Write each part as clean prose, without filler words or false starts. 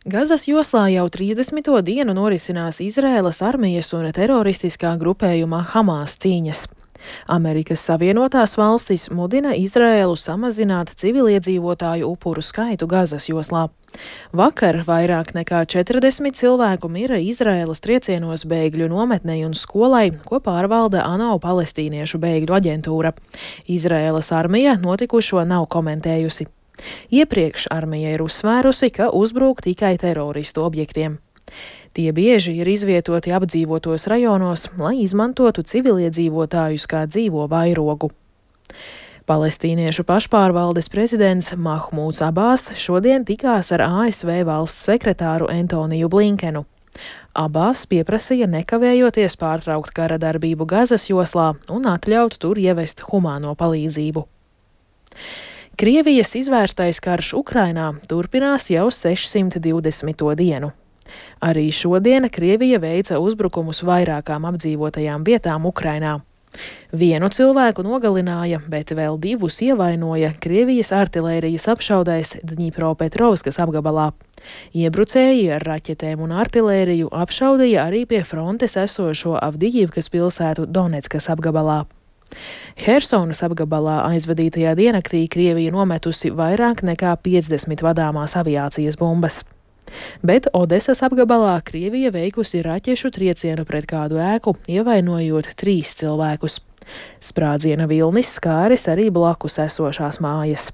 Gazas joslā jau 30. dienu norisinās Izraēlas armijas un teroristiskā grupējuma Hamas cīņas. Amerikas Savienotās valstis mudina Izraēlu samazināt civiliedzīvotāju upuru skaitu Gazas joslā. Vakar vairāk nekā 40 cilvēku mira Izraēlas triecienos bēgļu nometnei un skolai, ko pārvalda ANO palestīniešu bēgļu aģentūra. Izraēlas armija notikušo nav komentējusi. Iepriekš armija ir uzsvērusi, ka uzbrūk tikai teroristu objektiem. Tie bieži ir izvietoti apdzīvotos rajonos, lai izmantotu civiliedzīvotājus kā dzīvo vairogu. Palestīniešu pašpārvaldes prezidents Mahmūds Abās šodien tikās ar ASV valsts sekretāru Antoniju Blinkenu. Abās pieprasīja nekavējoties pārtraukt kara darbību Gazas joslā un atļaut tur ievest humāno palīdzību. Krievijas izvērstais karš Ukrainā turpinās jau 620. dienu. Arī šodien Krievija veica uzbrukumus vairākām apdzīvotajām vietām Ukrainā. Vienu cilvēku nogalināja, bet vēl divus ievainoja Krievijas artilērijas apšaudais Dņipropetrovskas apgabalā. Iebrucēji ar raķetēm un artilēriju apšaudīja arī pie frontes esošo Avdijivkas pilsētu Doneckas apgabalā. Hersonas apgabalā aizvadītajā diennaktī Krievija nometusi vairāk nekā 50 vadāmās aviācijas bumbas. Bet Odesas apgabalā Krievija veikusi raķešu triecienu pret kādu ēku, ievainojot 3 cilvēkus. Sprādziena vilnis skāris arī blakus esošās mājas.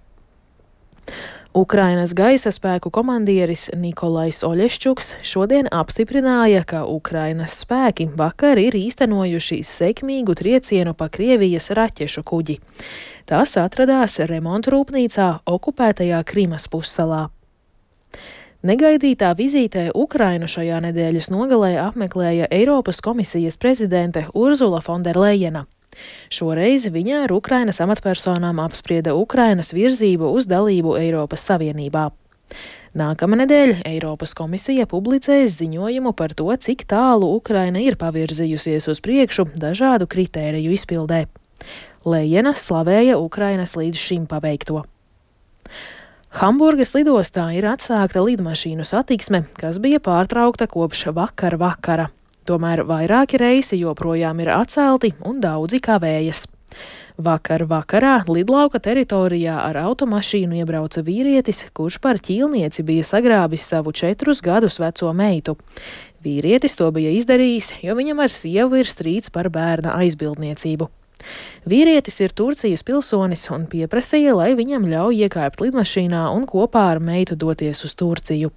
Ukrainas gaisa spēku komandieris Nikolais Oļeščuks šodien apstiprināja, ka Ukrainas spēki vakar ir īstenojuši sekmīgu triecienu pa Krievijas raķešu kuģi. Tas atradās remontrūpnīcā okupētajā Krimas pussalā. Negaidītā vizītē Ukrainu šajā nedēļas nogalē apmeklēja Eiropas komisijas prezidente Urzula Fonderlejena. Šoreiz viņa ar Ukrainas amatpersonām apsprieda Ukrainas virzību uz dalību Eiropas Savienībā. Nākamnedēļ Eiropas komisija publicēs ziņojumu par to, cik tālu Ukraina ir pavirzījusies uz priekšu dažādu kritēriju izpildē. Lejena slavēja Ukrainas līdz šim paveikto. Hamburgas lidostā ir atsākta lidmašīnu satiksme, kas bija pārtraukta kopš vakara. Tomēr vairāki reisi joprojām ir atcelti un daudzi kavējas. Vakarā lidlauka teritorijā ar automašīnu iebrauca vīrietis, kurš par ķīlnieci bija sagrābis savu 4 gadus veco meitu. Vīrietis to bija izdarījis, jo viņam ar sievu ir strīds par bērna aizbildniecību. Vīrietis ir Turcijas pilsonis un pieprasīja, lai viņam ļauj iekāpt lidmašīnā un kopā ar meitu doties uz Turciju.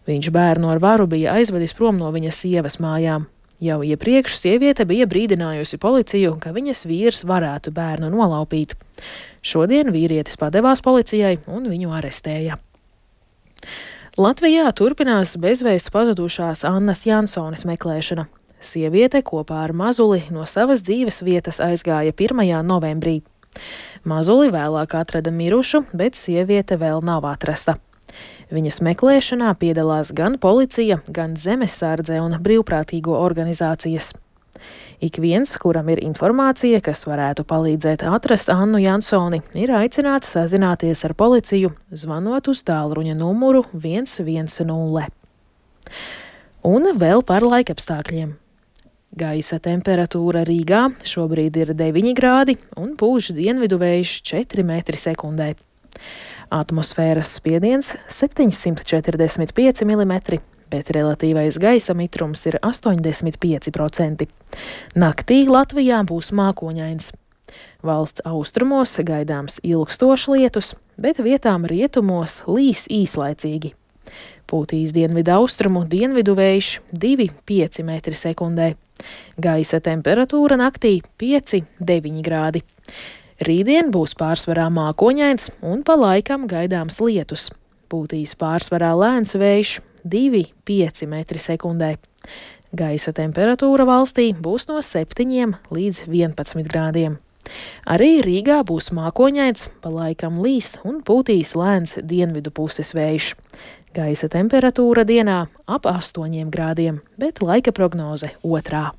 Viņš bērnu ar varu bija aizvedis prom no viņas sievas mājām. Jau iepriekš sieviete bija brīdinājusi policiju, ka viņas vīrs varētu bērnu nolaupīt. Šodien vīrietis padevās policijai un viņu arestēja. Latvijā turpinās bezvēsts pazudušās Annas Jansones meklēšana. Sieviete kopā ar mazuli no savas dzīves vietas aizgāja 1. novembrī. Mazuli vēlāk atrada mirušu, bet sieviete vēl nav atrasta. Viņas meklēšanā piedalās gan policija, gan zemesardze un brīvprātīgo organizācijas. Ik viens, kuram ir informācija, kas varētu palīdzēt atrast Annu Jansoni, ir aicināts sazināties ar policiju, zvanot uz tālruņa numuru 110. Un vēl par laikapstākļiem. Gaisa temperatūra Rīgā šobrīd ir 9 grādi un pūš dienvidu vējš 4 metri sekundē. Atmosfēras spiediens 745 mm, bet relatīvais gaisa mitrums ir 85%. Naktī Latvijā būs mākoņains. Valsts austrumos gaidāms ilgstošs lietus, bet vietām rietumos līs īslaicīgi. Pūtīs dienvidu austrumu dienvidu vējš 2,5 metri sekundē. Gaisa temperatūra naktī 5,9 grādi. Rītdien būs pārsvarā mākoņains un pa laikam gaidāms lietus. Pūtīs pārsvarā lēns vējš 2,5 metri sekundē. Gaisa temperatūra valstī būs no 7 līdz 11 grādiem. Arī Rīgā būs mākoņains, pa laikam līs un pūtīs lēns dienvidu puses vējš. Gaisa temperatūra dienā ap 8 grādiem, bet laika prognoze otrā.